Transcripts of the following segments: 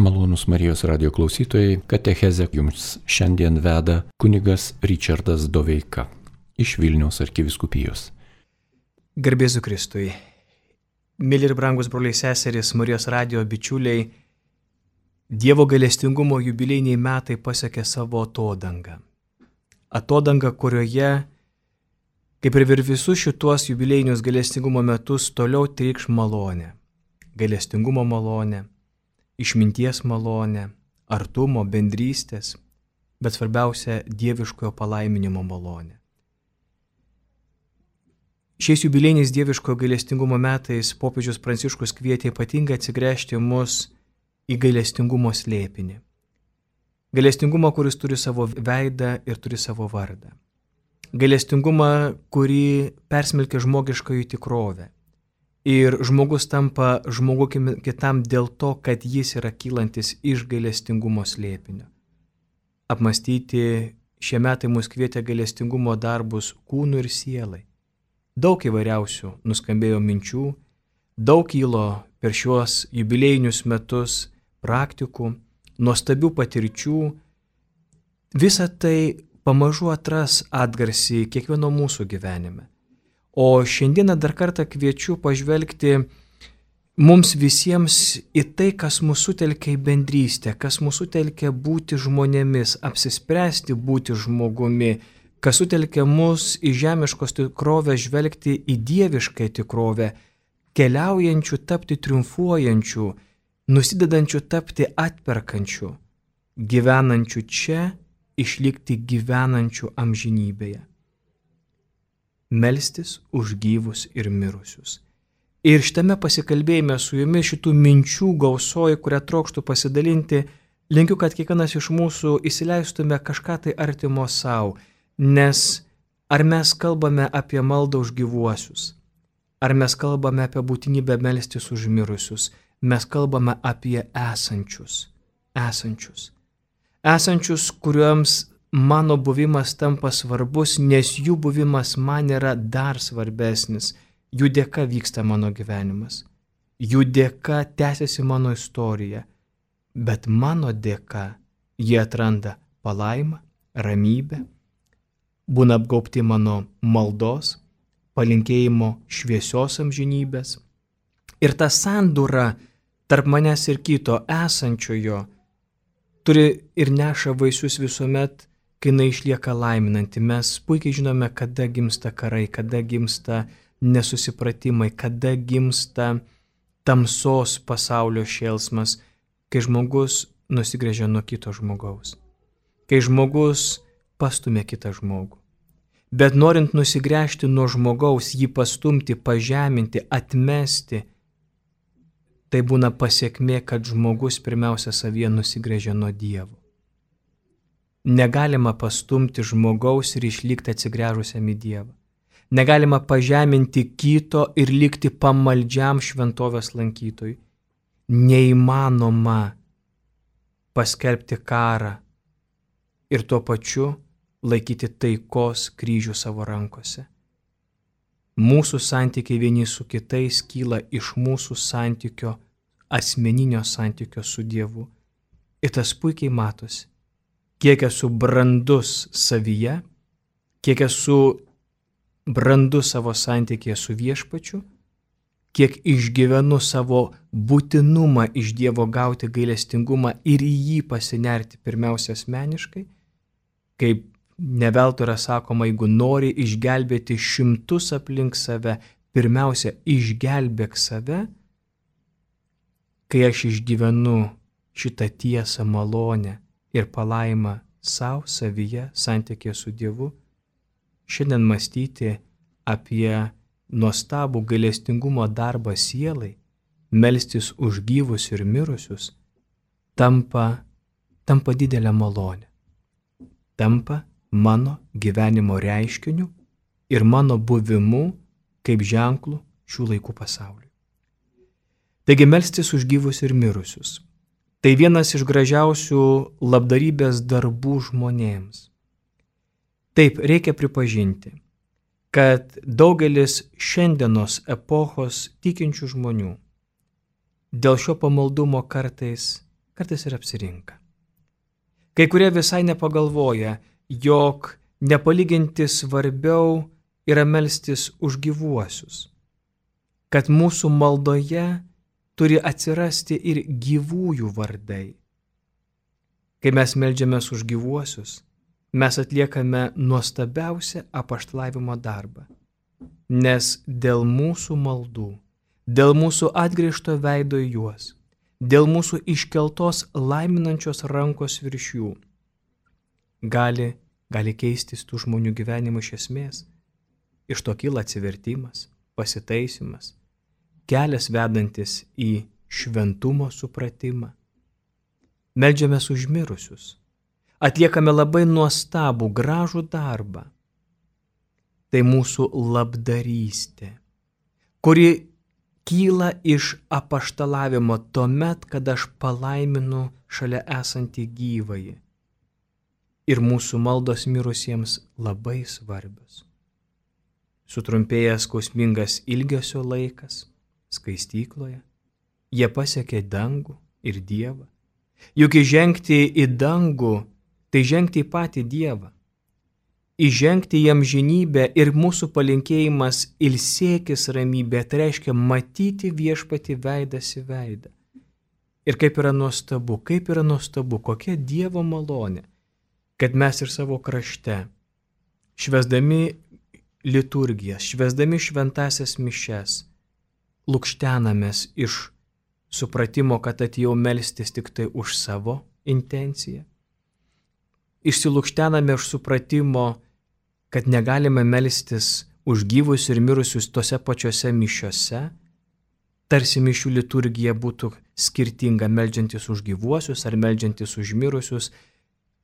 Malonūs Marijos radio klausytojai, katechezę jums šiandien veda kunigas Ričardas Doveika iš Vilniaus arkivyskupijos. Garbėzu Kristui. Mėly ir brangus broliai seserys, Marijos radio bičiuliai, Dievo gailestingumo jubiliejiniai metai pasiekė savo atodangą. Atodangą, kurioje, kaip ir visus šituos jubiliejinius gailestingumo metus, toliau trykš malonė. Gailestingumo malonė, išminties malonė, artumo, bendrystės, bet svarbiausia dieviškojo palaiminimo malonė. Šiais jubiliejiniais dieviškojo gailestingumo metais popiežius Pranciškus kvietė ypatingai atsigręžti mus į gailestingumo slėpinį. Gailestingumą, kuris turi savo veidą ir turi savo vardą. Gailestingumą, kurį persmelkia žmogiškąjį tikrovę. Ir žmogus tampa žmogumi kitam dėl to, kad jis yra kylantis iš gailestingumo slėpinio. Apmastyti šie metai mus kvietė gailestingumo darbus kūnui ir sielai. Daug įvairiausių nuskambėjo minčių, daug kilo per šiuos jubiliejinius metus praktikų, nuostabių patirčių. Visa tai pamažu atras atgarsį kiekvieno mūsų gyvenime. O šiandieną dar kartą kviečiu pažvelgti mums visiems į tai, kas mūsų sutelkia į bendrystę, kas mūsų sutelkia būti žmonėmis, apsispręsti būti žmogumi, kas sutelkia mus į žemiškos tikrovę žvelgti į dievišką tikrovę, keliaujančių tapti triumfuojančių, nusidedančių tapti atperkančių, gyvenančių čia, išlikti gyvenančių amžinybėje. Melstis už gyvus ir mirusius. Ir šitame pasikalbėjime su jumis šitų minčių gausoji, kurią trokštų pasidalinti, linkiu, kad kiekvienas iš mūsų įsileistume kažką tai artimo savo, nes ar mes kalbame apie maldą už gyvuosius, ar mes kalbame apie būtinybę melstis už mirusius, mes kalbame apie esančius, kuriuoms mano buvimas tampa svarbus, nes jų buvimas man yra dar svarbesnis. Jų dėka vyksta mano gyvenimas. Jų dėka tęsiasi mano istorija. Bet mano dėka jie atranda palaimą, ramybę, būna apgaubti mano maldos, palinkėjimo šviesios amžinybės. Ir ta sandūra tarp manęs ir kito esančiojo turi ir neša vaisius visuomet, kai jinai išlieka laiminanti. Mes puikiai žinome, kada gimsta karai, kada gimsta nesusipratimai, kada gimsta tamsos pasaulio šėlsmas, kai žmogus nusigręžia nuo kito žmogaus, kai žmogus pastumia kitą žmogų. Bet norint nusigręžti nuo žmogaus, jį pastumti, pažeminti, atmesti, tai būna pasiekmė, kad žmogus pirmiausia savyje nusigręžia nuo Dievo. Negalima pastumti žmogaus ir išlikti atsigręžusiam į Dievą. Negalima pažeminti kito ir likti pamaldžiam šventovės lankytojui. Neįmanoma paskelbti karą ir tuo pačiu laikyti taikos kryžių savo rankose. Mūsų santykiai vieni su kitais kyla iš mūsų santykio, asmeninio santykio su Dievu. Ir tas puikiai matosi, kiek esu brandus savyje, kiek esu brandus savo santykėje su Viešpačiu, kiek išgyvenu savo būtinumą iš Dievo gauti gailestingumą ir į jį pasinerti pirmiausia asmeniškai, kaip neveltui yra sakoma, jeigu nori išgelbėti šimtus aplink save, pirmiausia išgelbėk save. Kai aš išgyvenu šitą tiesą, malonę ir palaimą savo, savyje, santykėje su Dievu, šiandien mąstyti apie nuostabų gailestingumo darbą sielai, melstis už gyvus ir mirusius, tampa didelė malonė. Tampa mano gyvenimo reiškiniu ir mano buvimu kaip ženklu šių laikų pasauliui. Taigi melstis už gyvus ir mirusius. Tai vienas iš gražiausių labdarybės darbų žmonėms. Taip, reikia pripažinti, kad daugelis šiandienos epochos tikinčių žmonių dėl šio pamaldumo kartais kartais ir apsirinka. Kai kurie visai nepagalvoja, jog nepalyginti svarbiau yra melstis už gyvuosius, kad mūsų maldoje turi atsirasti ir gyvųjų vardai. Kai mes meldžiamės už gyvuosius, mes atliekame nuostabiausią apaštalavimo darbą, nes dėl mūsų maldų, dėl mūsų atgrįžto veido į juos, dėl mūsų iškeltos laiminančios rankos virš jų, gali keistis tų žmonių gyvenimų iš esmės. Iš to kyla atsivertimas, pasitaisimas, kelias vedantis į šventumo supratimą. Meldžiamės už mirusius, atliekame labai nuostabų, gražų darbą. Tai mūsų labdarystė, kuri kyla iš apaštalavimo tuomet, kada aš palaiminu šalia esantį gyvąjį. Ir mūsų maldos mirusiems labai svarbios. Sutrumpėjęs skausmingas ilgesio laikas skaistykloje, jie pasiekė dangų ir Dievą. Juk įžengti į dangų, tai žengti į patį Dievą. Įžengti į amžinybę ir mūsų palinkėjimas ilsėkis ramybė, tai reiškia matyti viešpatį veidas į veidą. Ir kaip yra nuostabu, kokia Dievo malonė, kad mes ir savo krašte, švęsdami liturgijas, švęsdami šventasias mišes, lukštenamės iš supratimo, kad atėjau melstis tik tai už savo intenciją. Išsilukštename iš supratimo, kad negalime melstis už gyvus ir mirusius tose pačiose mišiose, tarsi mišių liturgija būtų skirtinga meldžiantis už gyvuosius ar meldžiantis už mirusius.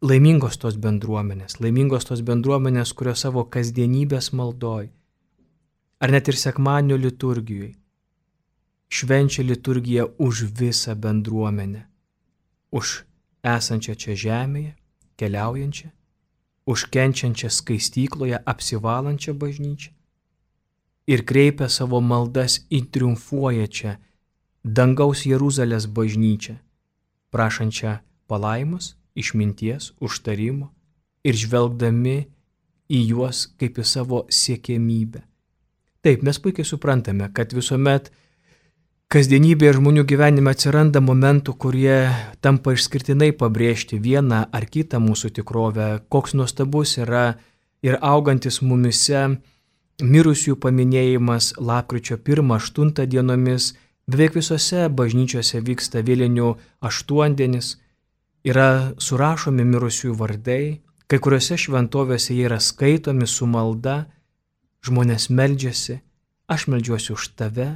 Laimingos tos bendruomenės, kurios savo kasdienybės maldoj, ar net ir sekmadienio liturgijoj, švenčia liturgiją už visą bendruomenę, už esančią čia žemėje, keliaujančią, už kenčiančią skaistykloje, apsivalančią bažnyčią ir kreipia savo maldas į triumfuojančią dangaus Jeruzalės bažnyčią, prašančią palaimos, išminties, užtarimo ir žvelgdami į juos kaip į savo siekiamybę. Taip, mes puikiai suprantame, kad visuomet kasdienybėje žmonių gyvenime atsiranda momentų, kurie tampa išskirtinai pabrėžti vieną ar kitą mūsų tikrovę, koks nuostabus yra ir augantis mumise mirusiųjų paminėjimas lapkričio 1-8 dienomis. Beveik visose bažnyčiose vyksta vėlinių aštuondienis, yra surašomi mirusiųjų vardai, kai kuriuose šventovėse jie yra skaitomi su malda, žmonės meldžiasi, aš meldžiuosi už tave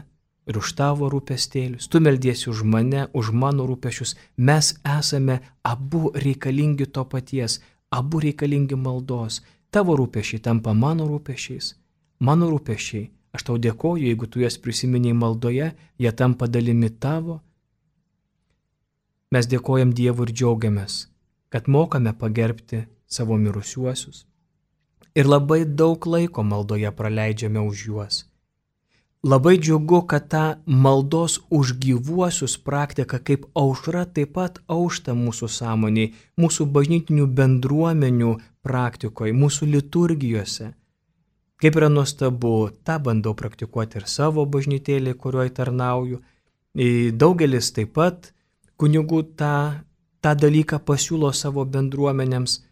ir už tavo rūpestėlius, tu meldiesi už mane, už mano rūpesčius, mes esame abu reikalingi to paties, abu reikalingi maldos, tavo rūpesčiai tampa mano rūpesčiais, mano rūpesčiai, aš tau dėkoju, jeigu tu jas prisiminiai maldoje, jie tampa dalimi tavo. Mes dėkojam Dievui ir džiaugiamės, kad mokame pagerbti savo mirusiuosius. Ir labai daug laiko maldoje praleidžiame už juos. Labai džiugu, kad ta maldos už gyvuosius praktika kaip aušra taip pat aušta mūsų sąmonėje, mūsų bažnytinių bendruomenių praktikoje, mūsų liturgijose. Kaip yra nuostabu, tą bandau praktikuoti ir savo bažnytėlėje, kurioje tarnauju. Daugelis taip pat kunigų tą dalyką pasiūlo savo bendruomenėms,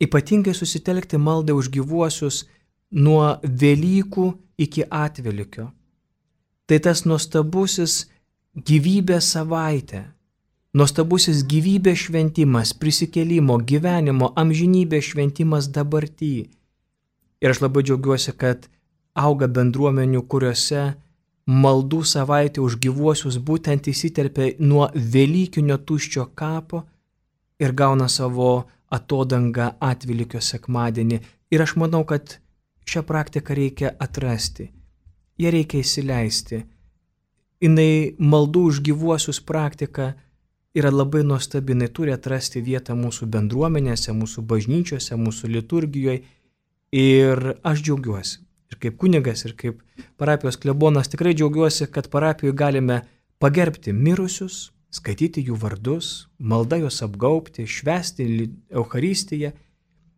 ypatingai susitelkti maldą už gyvuosius nuo Velykų iki Atvelykio. Tai tas nuostabusis gyvybės savaitė, nuostabusis gyvybės šventimas, prisikėlimo, gyvenimo, amžinybės šventimas dabarty. Ir aš labai džiaugiuosi, kad auga bendruomenių, kuriuose maldų savaitė už gyvuosius būtent įsiterpia nuo Velykinio tuščio kapo ir gauna savo atodangą Atvelykio sekmadienį. Ir aš manau, kad šią praktiką reikia atrasti, ją reikia įsileisti. Jinai maldų už gyvuosius praktika yra labai nuostabi, jinai turi atrasti vietą mūsų bendruomenėse, mūsų bažnyčiose, mūsų liturgijoje. Ir aš džiaugiuosi. Ir kaip kunigas, ir kaip parapijos klebonas tikrai džiaugiuosi, kad parapijoje galime pagerbti mirusius, skaityti jų vardus, malda juos apgaubti, švęsti Eucharistiją,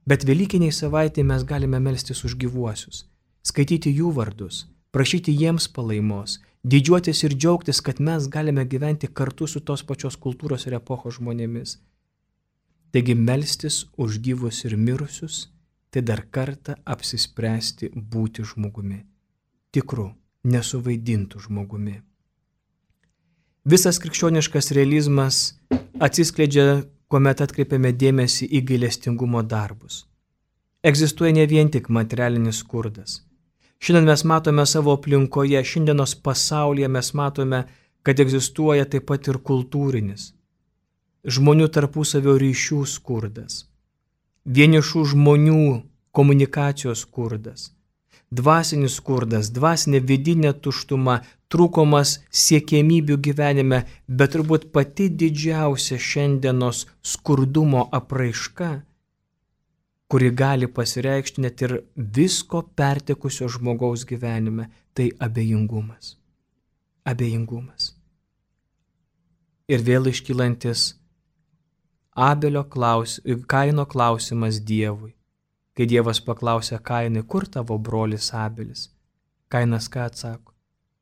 bet Velykiniai savaitėje mes galime melstis už gyvuosius, skaityti jų vardus, prašyti jiems palaimos, didžiuotis ir džiaugtis, kad mes galime gyventi kartu su tos pačios kultūros ir epochos žmonėmis. Taigi melstis už gyvus ir mirusius, tai dar kartą apsispręsti būti žmogumi, tikru, nesuvaidintų žmogumi. Visas krikščioniškas realizmas atsiskleidžia, kuomet atkreipiame dėmesį į gailestingumo darbus. Egzistuoja ne vien tik materialinis skurdas. Šiandien mes matome savo aplinkoje, šiandienos pasaulyje mes matome, kad egzistuoja taip pat ir kultūrinis, žmonių tarpusavio ryšių skurdas, vienišų žmonių komunikacijos skurdas, dvasinis skurdas, dvasinė vidinė tuštuma, trūkumas siekiamybių gyvenime, bet turbūt pati didžiausia šiandienos skurdumo apraiška, kuri gali pasireikšti net ir visko pertekusio žmogaus gyvenime, tai abejingumas. Abejingumas. Ir vėl iškylantis Kaino klausimas Dievui. Kai Dievas paklausė Kainui, kur tavo brolis Abelis? Kainas ką atsako?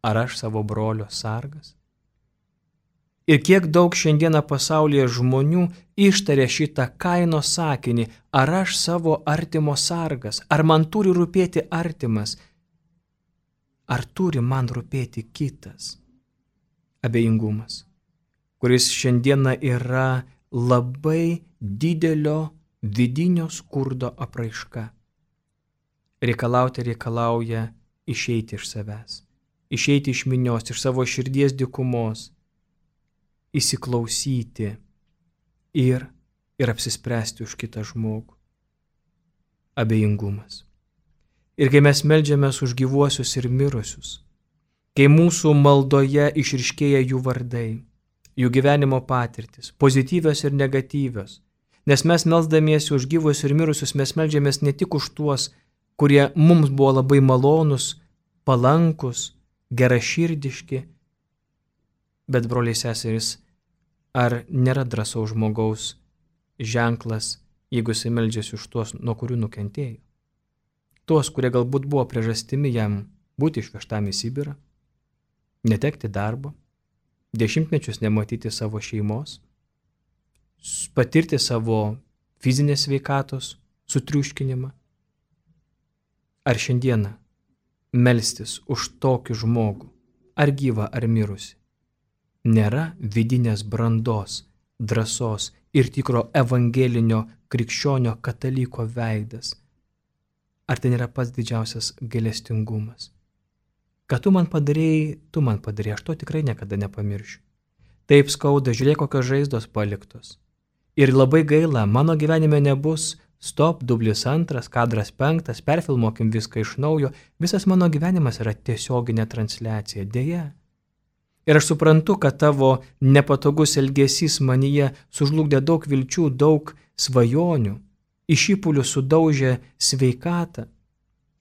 Ar aš savo brolio sargas? Ir kiek daug šiandieną pasaulyje žmonių ištarė šitą Kaino sakinį, ar aš savo artimo sargas, ar man turi rūpėti artimas, ar turi man rūpėti kitas? Abejingumas, kuris šiandieną yra labai didelio vidinio skurdo apraiška. Reikalauja išeiti iš savęs, išeiti iš minios, iš savo širdies dykumos, įsiklausyti ir apsispręsti už kitą žmogų. Abejingumas. Ir kai mes meldžiamės už gyvuosius ir mirusius, kai mūsų maldoje išryškėja jų vardai, jų gyvenimo patirtis, pozityvios ir negatyvios, nes mes melsdamiesi už gyvus ir mirusius, mes meldžiamės ne tik už tuos, kurie mums buvo labai malonus, palankus, geraširdiški, bet broliai seserys, ar nėra drąsaus žmogaus ženklas, jeigu jis meldžiasi už tuos, nuo kurių nukentėjo? Tuos, kurie galbūt buvo priežastimi jam būti išvežtam į Sibirą, netekti darbo, 10 metus nematyti savo šeimos, patirti savo fizinės sveikatos sutriuškinimą. Ar šiandieną melstis už tokį žmogų, ar gyvą, ar mirusi, nėra vidinės brandos, drąsos ir tikro evangelinio krikščionio kataliko veidas? Ar tai nėra pats didžiausias gailestingumas? Kad tu man padarėjai, aš to tikrai niekada nepamiršiu. Taip skauda, žiūrėk, kokios žaizdos paliktos. Ir labai gaila, mano gyvenime nebus stop, dublis 2, kadras 5, perfilmuokim viską iš naujo. Visas mano gyvenimas yra tiesioginė transliacija, dėja. Ir aš suprantu, kad tavo nepatogus elgesys manyje sužlugdė daug vilčių, daug svajonių, iš įpulių sudaužė sveikatą,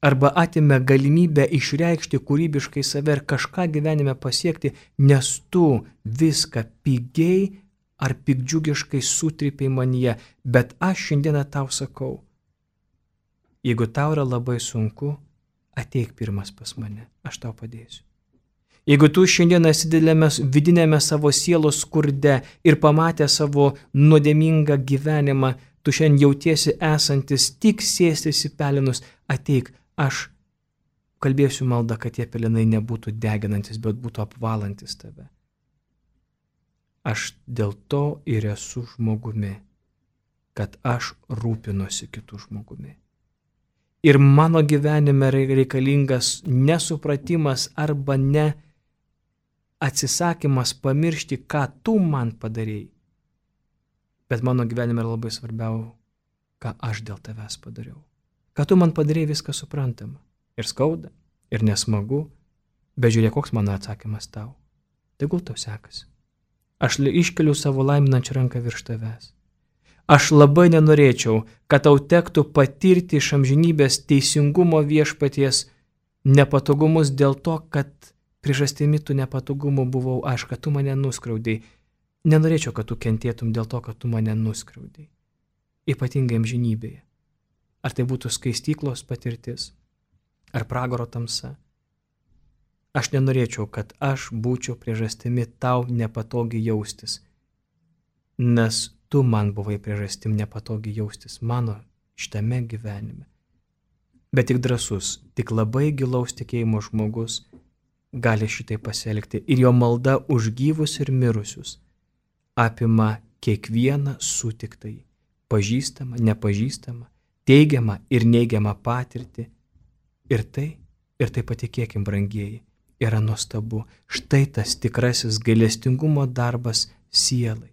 arba atimė galimybę išreikšti kūrybiškai save ir kažką gyvenime pasiekti, nes tu viską pigiai ar piktdžiugiškai sutrypiai manyje. Bet aš šiandieną tau sakau, jeigu tau yra labai sunku, ateik pirmas pas mane, aš tau padėsiu. Jeigu tu šiandieną esi vidinėme savo sielos skurde ir pamatę savo nuodėmingą gyvenimą, tu šiandien jautiesi esantis tik sėstis į pelenus, ateik, aš kalbėsiu maldą, kad tie pelenai nebūtų deginantis, bet būtų apvalantis tave. Aš dėl to ir esu žmogumi, kad aš rūpinuosi kitų žmogumi. Ir mano gyvenime reikalingas nesupratimas arba ne atsisakymas pamiršti, ką tu man padarėjai. Bet mano gyvenime yra labai svarbiau, ką aš dėl tavęs padariau. Ką tu man padarėjai, viską suprantama. Ir skauda, ir nesmagu, bet žiūrėk, koks mano atsakymas tau. Tegul tau sekasi. Aš iškeliu savo laiminančią ranką virš tavęs. Aš labai nenorėčiau, kad tau tektų patirti iš amžinybės teisingumo viešpaties nepatogumus dėl to, kad priežastimi tų nepatogumų buvau aš, kad tu mane nuskriaudei. Nenorėčiau, kad tu kentėtum dėl to, kad tu mane nuskriaudei, ypatingai amžinybėje. Ar tai būtų skaistyklos patirtis, ar pragaro tamsa. Aš nenorėčiau, kad aš būčiau priežastimi tau nepatogiai jaustis, nes tu man buvai priežastim nepatogiai jaustis mano šitame gyvenime. Bet tik drąsus, tik labai gilaus tikėjimo žmogus gali šitai pasielgti ir jo malda už gyvus ir mirusius apima kiekvieną sutiktai, pažįstamą, nepažįstamą, teigiamą ir neigiamą patirtį. Ir tai patikėkim, brangieji, yra nuostabu. Štai tas tikrasis gailestingumo darbas sielai.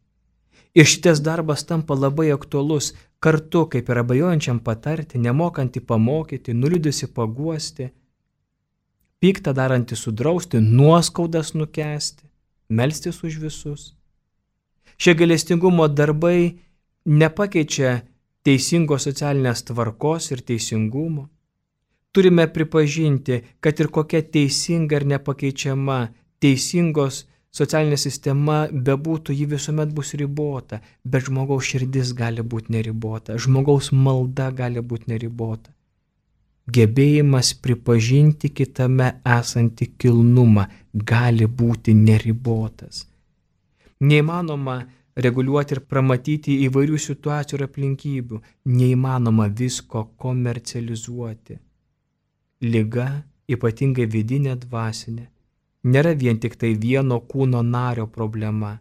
Ir šitas darbas tampa labai aktualus kartu, kaip ir abejojančiam patarti, nemokantį pamokyti, nuliūdusi paguosti, pyktą darantį sudrausti, nuoskaudas nukęsti, melstis už visus. Šie gailestingumo darbai nepakeičia teisingos socialinės tvarkos ir teisingumo. Turime pripažinti, kad ir kokia teisinga ir nepakeičiama teisingos socialinė sistema bebūtų, ji visuomet bus ribota, bet žmogaus širdis gali būti neribota, žmogaus malda gali būti neribota. Gebėjimas pripažinti kitame esantį kilnumą gali būti neribotas. Neįmanoma reguliuoti ir pramatyti įvairių situacijų ir aplinkybių, neįmanoma visko komercializuoti. Liga, ypatingai vidinė dvasinė, nėra vien tik tai vieno kūno nario problema,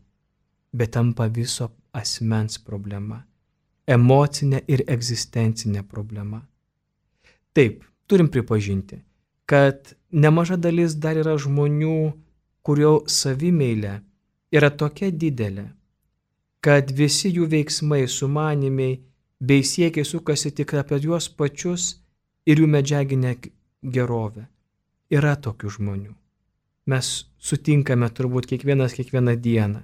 bet tampa viso asmens problema, emocinė ir egzistencinė problema. Taip, turim pripažinti, kad nemaža dalis dar yra žmonių, kurio savimeilė yra tokia didelė, kad visi jų veiksmai, sumanymai bei siekiai sukasi tik apie juos pačius ir jų medžiaginę gerovę. Yra tokių žmonių. Mes sutinkame turbūt kiekvieną dieną.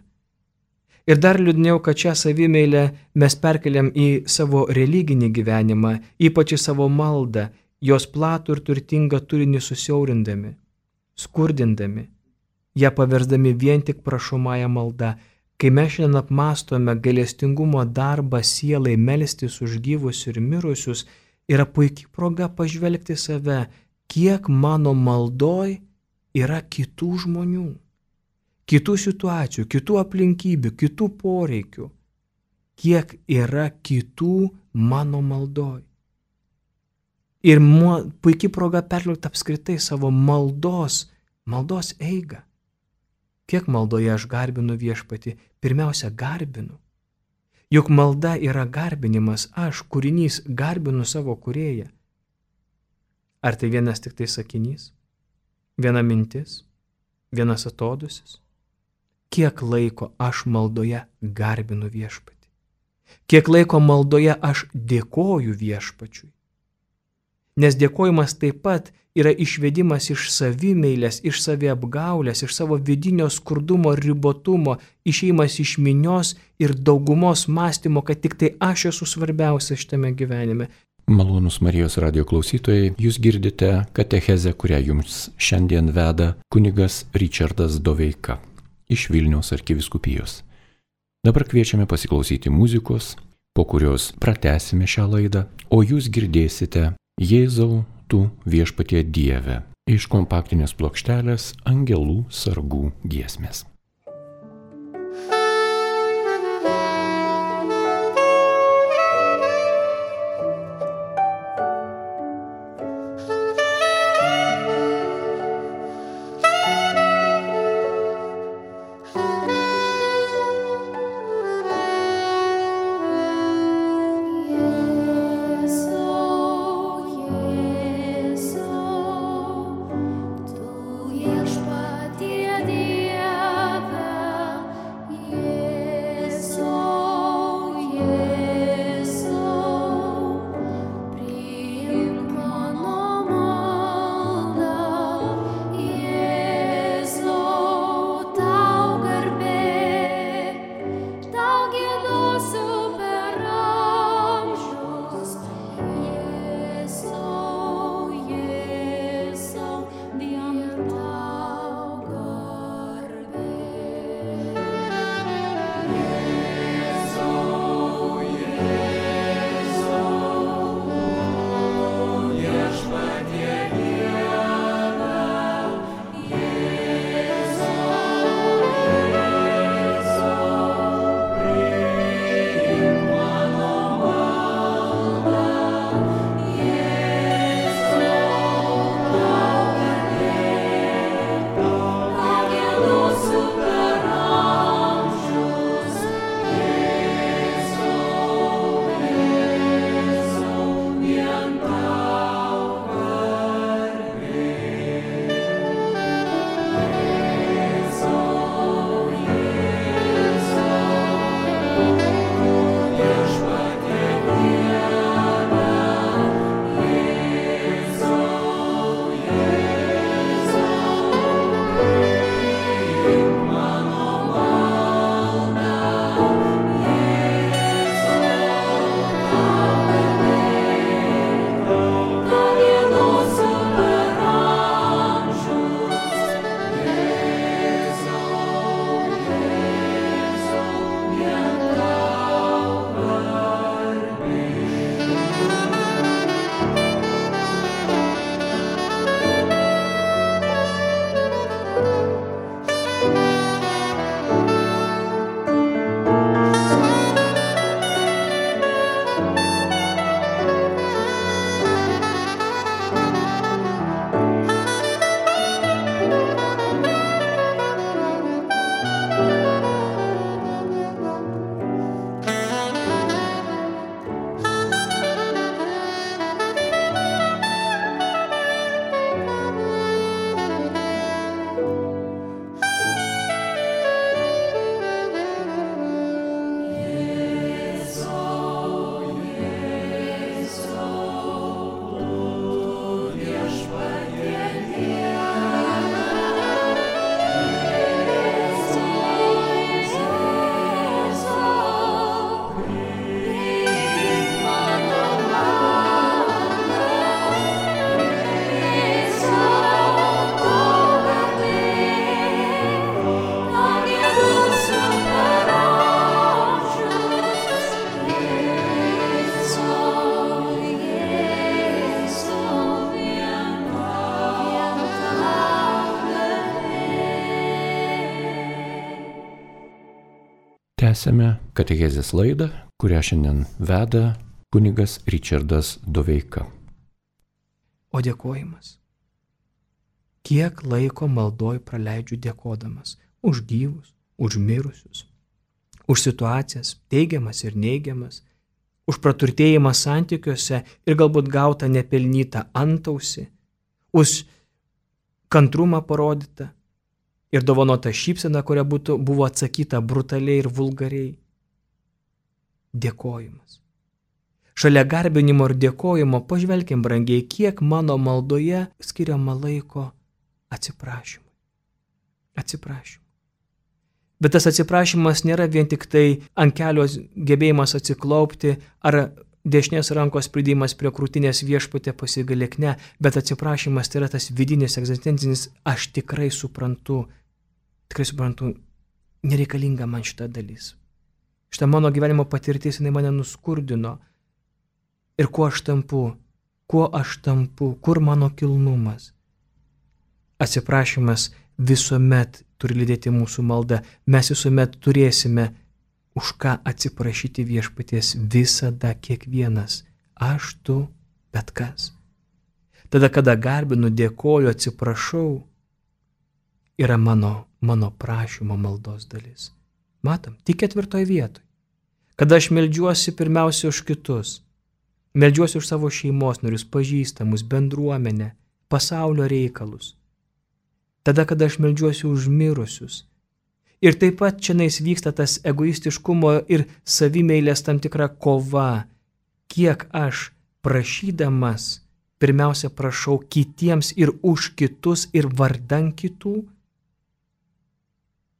Ir dar liūdniau, kad šią savimeilę mes perkeliam į savo religinį gyvenimą, ypač į savo maldą, jos platų ir turtingą turinį susiaurindami, skurdindami, ją paversdami vien tik prašomąją maldą. Kai mes šiandien apmastome gailestingumo darbą sielai melstis už gyvus ir mirusius, yra puikiai proga pažvelgti save, kiek mano maldoj yra kitų žmonių, kitų situacijų, kitų aplinkybių, kitų poreikių, kiek yra kitų mano maldoj. Ir puikiai proga perliūti apskritai savo maldos eigą. Kiek maldoje aš garbinu viešpatį? Pirmiausia, garbinu. Juk malda yra garbinimas, aš, kūrinys, garbinu savo kūrėją. Ar tai vienas tik tai sakinys? Viena mintis? Vienas atodūsis? Kiek laiko aš maldoje garbinu viešpatį? Kiek laiko maldoje aš dėkoju viešpačiui? Nes dėkojimas taip pat yra išvedimas iš savimeilės, iš saviapgaulės, iš savo vidinio skurdumo, ribotumo, išėjimas iš minios ir daugumos mąstymo, kad tik tai aš esu svarbiausia šitame gyvenime. Malonūs Marijos radijo klausytojai, jūs girdite katechezę, kurią jums šiandien veda kunigas Ričardas Doveika iš Vilniaus arkivyskupijos. Dabar kviečiame pasiklausyti muzikos, po kurios pratęsime šią laidą, o jūs girdėsite Jėzau, tu viešpatie Dieve iš kompaktinės plokštelės Angelų sargų giesmės. Viešpatie Dieve. Tęsėme katechezės laidą, kurią šiandien veda kunigas Ričardas Doveika. O dėkojimas. Kiek laiko maldoj praleidžiu dėkodamas už gyvus, už mirusius, už situacijas, teigiamas ir neigiamas, už praturtėjimą santykiuose ir galbūt gautą nepelnytą antausį, už kantrumą parodytą ir dovanotą šypseną, kuria buvo atsakyta brutaliai ir vulgariai. Dėkojimas. Šalia garbinimo ir dėkojimo pažvelkim, brangiai, kiek mano maldoje skiriama laiko atsiprašymui. Atsiprašymui. Bet tas atsiprašymas nėra vien tik tai ant kelios gebėjimas atsiklaupti ar dešinės rankos pridėjimas prie krūtinės viešpatė pasigailėk, ne, bet atsiprašymas tai yra tas vidinis, egzistencinis, aš tikrai suprantu, nereikalinga man šita dalis. Šita mano gyvenimo patirtis, jinai mane nuskurdino. Ir kuo aš tampu, kur mano kilnumas. Atsiprašymas visuomet turi lydėti mūsų maldą. Mes visuomet turėsime už ką atsiprašyti viešpaties, visada kiekvienas. Aš, tu, bet kas. Tada, kada garbinu, dėkoju, atsiprašau, yra mano prašymo maldos dalis. Matom, tik 4 vietoj. Kada aš meldžiuosi pirmiausia už kitus. Meldžiuosi už savo šeimos narius, pažįstamus, bendruomenę, pasaulio reikalus. Tada, kada aš meldžiuosi už mirusius. Ir taip pat čianais vyksta tas egoistiškumo ir savimeilės tam tikra kova. Kiek aš prašydamas pirmiausia prašau kitiems ir už kitus ir vardan kitų.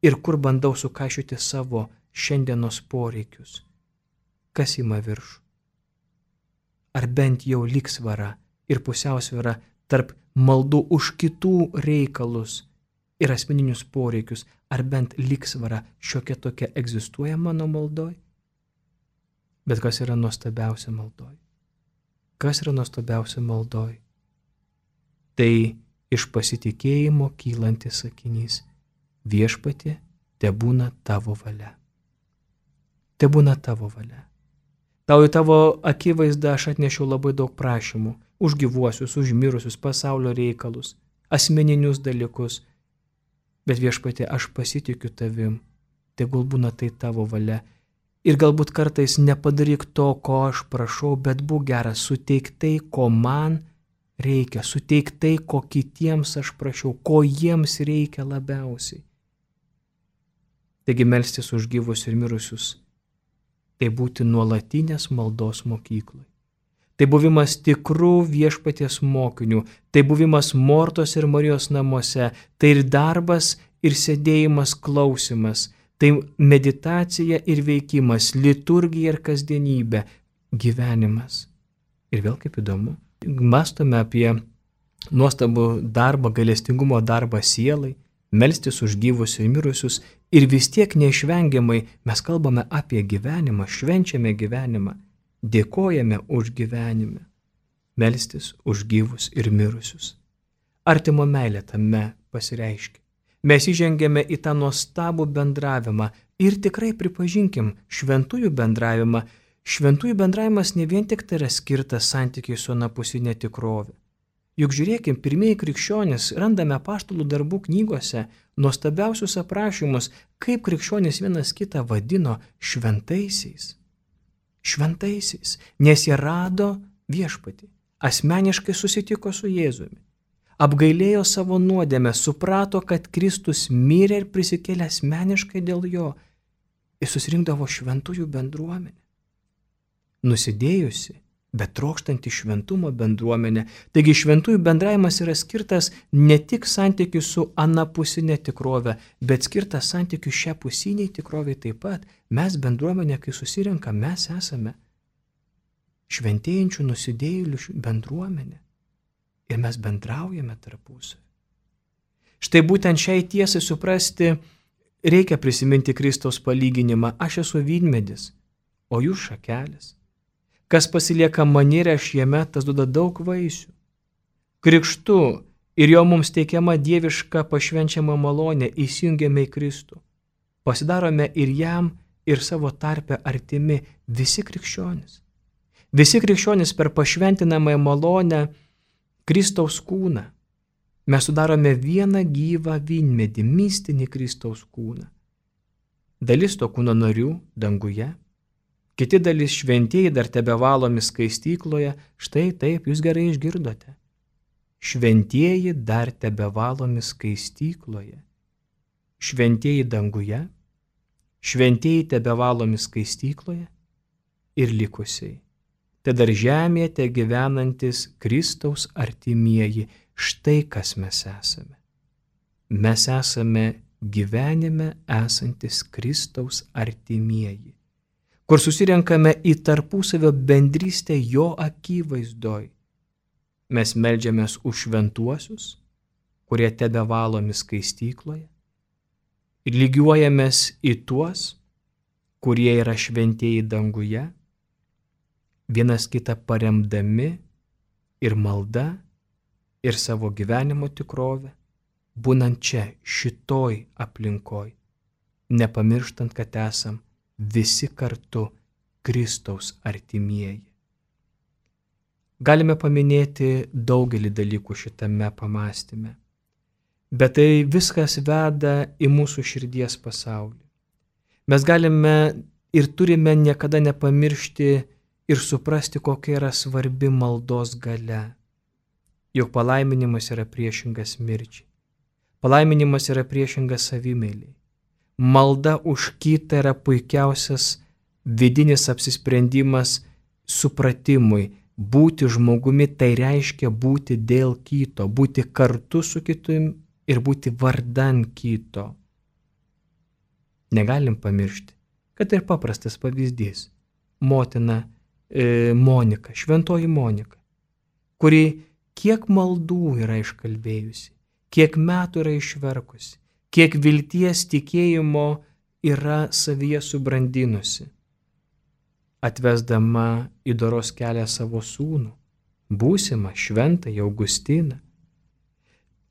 Ir kur bandau sukaišiuoti savo šiandienos poreikius. Kas ima viršų? Ar bent jau lygsvara ir pusiausvyra tarp maldų už kitų reikalus ir asmeninius poreikius, ar bent lygsvara šiokia tokia egzistuoja mano maldoj? Bet kas yra nuostabiausia maldoj? Kas yra nuostabiausia maldoj? Tai iš pasitikėjimo kylantis sakinys: viešpatie, tebūna tavo valia. Tebūna tavo valia. Tau į tavo akivaizdą aš atnešiau labai daug prašymų. Už gyvuosius, už mirusius, pasaulio reikalus, asmeninius dalykus. Bet viešpatie, aš pasitikiu tavim. Tegul būna tai tavo valia. Ir galbūt kartais nepadaryk to, ko aš prašau, bet būk geras, suteik tai, ko man reikia, suteik tai, ko kitiems aš prašiau, ko jiems reikia labiausiai. Taigi melstis už gyvus ir mirusius, tai būti nuolatinės maldos mokyklai. Tai buvimas tikrų viešpaties mokinių, tai buvimas Mortos ir Marijos namuose, tai ir darbas, ir sėdėjimas, klausimas, tai meditacija ir veikimas, liturgija ir kasdienybė, gyvenimas. Ir vėl kaip įdomu, mąstome apie nuostabų darbą, gailestingumo darbą sielai, melstis už gyvus ir mirusius, ir vis tiek neišvengiamai mes kalbame apie gyvenimą, švenčiame gyvenimą, dėkojame už gyvenimą, melstis už gyvus ir mirusius. Artimo meilė tame pasireiškia. Mes įžengėme į tą nuostabų bendravimą ir tikrai pripažinkim šventųjų bendravimą. Šventųjų bendravimas ne vien tik tai yra skirtas santykiai su anapusinė tikrovė. Juk žiūrėkim, pirmieji krikščionys randame apaštalų darbų knygose nuostabiausius aprašymus, kaip krikščionys vienas kitą vadino šventaisiais. Šventaisiais, nes jie rado viešpatį, asmeniškai susitiko su Jėzumi, apgailėjo savo nuodėmę, suprato, kad Kristus mirė ir prisikėlė asmeniškai dėl jo ir susirinkdavo šventųjų bendruomenę. Nusidėjusi, bet trokštanti šventumo bendruomenė. Taigi šventųjų bendravimas yra skirtas ne tik santykių su anapusinė tikrovė, bet skirtas santykių šią pusiniai tikrovė taip pat. Mes bendruomenė, kai susirenka, mes esame šventėjančių nusidėjėlių bendruomenė. Ir mes bendraujame tarpusavy. Štai būtent šiai tiesai suprasti reikia prisiminti Kristaus palyginimą. Aš esu vynmedis, o jūs šakelės. Kas pasilieka manyje, aš jame, tas duoda daug vaisių. Krikštu ir jo mums teikiama dieviška pašvenčiama malonė įsijungiame į Kristų. Pasidarome ir jam, ir savo tarpe artimi visi krikščionys. Visi krikščionys per pašventinamąją malonę Kristaus kūną. Mes sudarome vieną gyvą vynmedį, mistinį Kristaus kūną. Dalis to kūno narių danguje, kiti dalis šventieji dar tebevalomi skaistykloje. Štai taip, jūs gerai išgirdote. Šventieji dar tebevalomi skaistykloje. Šventieji danguje, šventieji tebevalomi skaistykloje ir likusiai. Te dar žemėje te gyvenantis Kristaus artimieji. Štai kas mes esame. Mes esame gyvenime esantis Kristaus artimieji, kur susirenkame į tarpusavio bendrystę jo akivaizdoj. Mes meldžiamės už šventuosius, kurie tebevalomi skaistykloje, ir lygiuojamės į tuos, kurie yra šventieji danguje, vienas kitą paremdami ir malda, ir savo gyvenimo tikrovę, būnant čia, šitoj aplinkoj, nepamirštant, kad esam visi kartu Kristaus artimieji. Galime paminėti daugelį dalykų šitame pamąstyme, bet tai viskas veda į mūsų širdies pasaulį. Mes galime ir turime niekada nepamiršti ir suprasti, kokia yra svarbi maldos galia. Juk palaiminimas yra priešingas mirčiai. Palaiminimas yra priešingas savimeiliai. Malda už kitą yra puikiausias vidinis apsisprendimas supratimui. Būti žmogumi tai reiškia būti dėl kito, būti kartu su kitu ir būti vardan kito. Negalim pamiršti, kad ir paprastas pavyzdys. Motina Monika, šventoji Monika, kuri kiek maldų yra iškalbėjusi, kiek metų yra išverkusi, kiek vilties tikėjimo yra savyje subrandinusi, atvesdama į doros kelią savo sūnų, būsimą šventąjį Augustiną.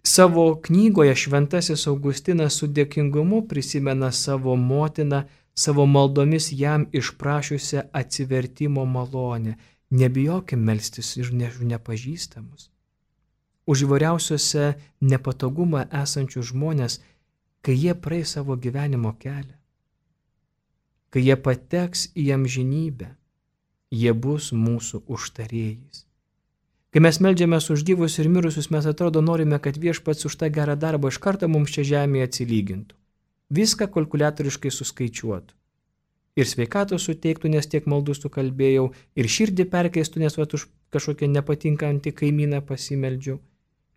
Savo knygoje šventasis Augustinas su dėkingumu prisimena savo motiną, savo maldomis jam išprašiusią atsivertimo malonę. Nebijokim melstis ir nepažįstamus. Už įvairiausiuose nepatogumą esančius žmonės, kai jie praeis savo gyvenimo kelią, kai jie pateks į amžinybę, jie bus mūsų užtarėjais. Kai mes meldžiamės už gyvus ir mirusius, mes atrodo norime, kad viešpats už tą gerą darbą iš karto mums čia žemėje atsilygintų. Viską kalkuliatoriškai suskaičiuotų. Ir sveikatos suteiktų, nes tiek maldų sukalbėjau, ir širdį perkeistų, nes už kažkokią nepatinkantį kaimyną pasimeldžiau.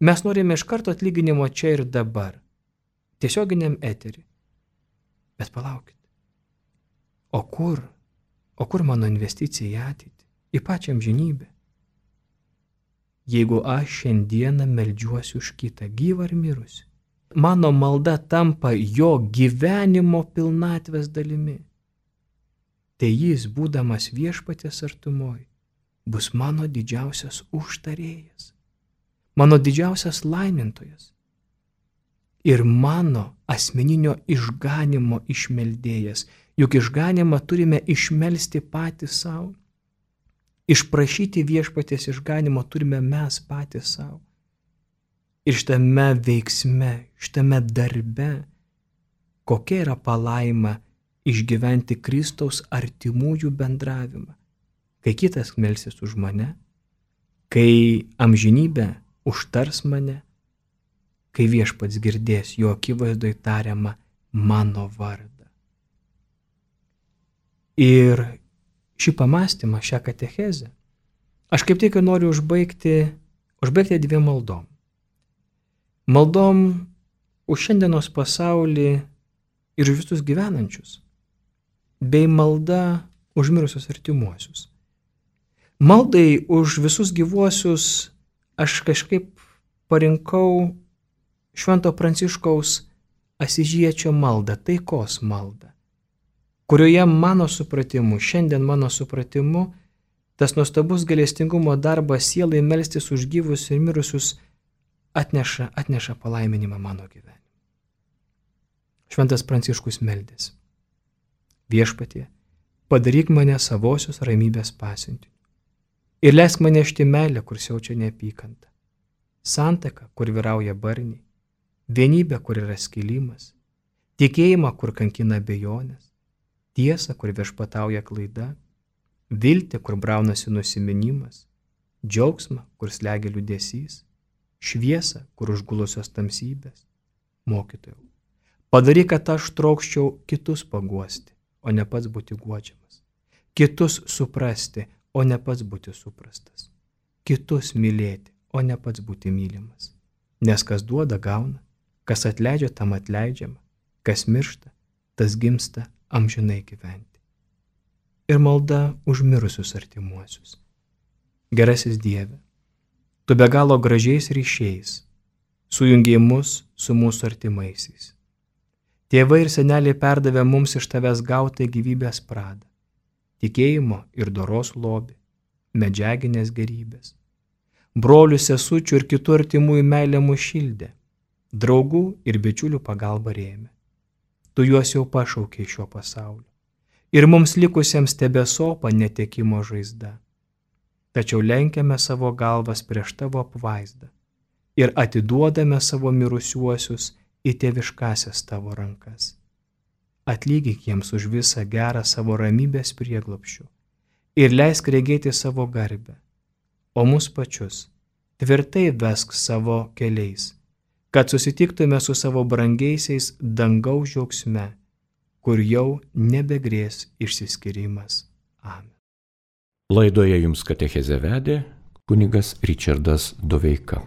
Mes norime iš karto atlyginimo čia ir dabar, tiesioginiam eterį. Bet palaukit. O kur mano investicija į ateitį, į pačią amžinybę? Jeigu aš šiandieną meldžiuosi už kitą, gyvą ar mirusį, mano malda tampa jo gyvenimo pilnatvės dalimi. Tai jis, būdamas viešpaties artumoj, bus mano didžiausias užtarėjas, mano didžiausias laimintojas ir mano asmeninio išganimo išmeldėjas. Juk išganimą turime išmelsti patys savo. Išprašyti viešpaties išganimo turime mes patys savo. Ir šitame veiksme, šitame darbe, kokia yra palaima išgyventi Kristaus artimųjų bendravimą, kai kitas melsis už mane, kai amžinybė užtars mane, kai viešpats girdės jo akivaizdoj tariamą mano vardą. Ir šį pamąstymą, šią katechezę, aš kaip tik noriu užbaigti dviem maldom. Maldom už šiandienos pasaulį ir už visus gyvenančius, bei malda už mirusius artimuosius. Maldai už visus gyvuosius aš kažkaip parinkau Švento Pranciškaus Asyžiečio maldą, taikos maldą, kurioje mano supratimu, šiandien mano supratimu, tas nuostabus gailestingumo darbas sielai melstis už gyvus ir mirusius atneša palaiminimą mano gyvenimą. Šventas Pranciškus meldėsi. Viešpatie, padaryk mane savosios ramybės pasiuntiniu. Ir leisk man nešti meilę, kur siaučia neapykanta. Santaką, kur vyrauja barniai. Vienybę, kur yra skilimas. Tikėjimą, kur kankina abejonės. Tiesą, kur viešpatauja klaida. Viltį, kur braunasi nusiminimas. Džiaugsmą, kur slegia liūdesys. Šviesą, kur užgulusios tamsybės. Mokytojau, padaryk, kad aš trokščiau kitus paguosti, o ne pats būti guodžiamas. Kitus suprasti, o ne pats būti suprastas. Kitus mylėti, o ne pats būti mylimas. Nes kas duoda, gauna, kas atleidžia, tam atleidžiama, kas miršta, tas gimsta amžinai gyventi. Ir malda už mirusius artimuosius. Gerasis Dieve, tu be galo gražiais ryšiais sujungei mus su mūsų artimaisiais. Tėvai ir seneliai perdavė mums iš tavęs gautą gyvybės pradą, tikėjimo ir doros lobį, medžiaginės gerybės. Brolių, sesučių ir kitų artimųjų meilė mus šildė, draugų ir bičiulių pagalba rėmė. Tu juos jau pašaukei šio pasaulio ir mums likusiems tebesopa netekimo žaizda. Tačiau lenkiame savo galvas prieš tavo apvaizdą ir atiduodame savo mirusiuosius į tėviškasias tavo rankas. Atlygyk jiems už visą gerą savo ramybės prieglobsčių ir leisk regėti savo garbę, o mus pačius tvirtai vesk savo keliais, kad susitiktume su savo brangiaisiais dangaus džiaugsme, kur jau nebegrės išsiskyrimas. Amen. Laidoje jums katechezę vedė kunigas Ričardas Doveika.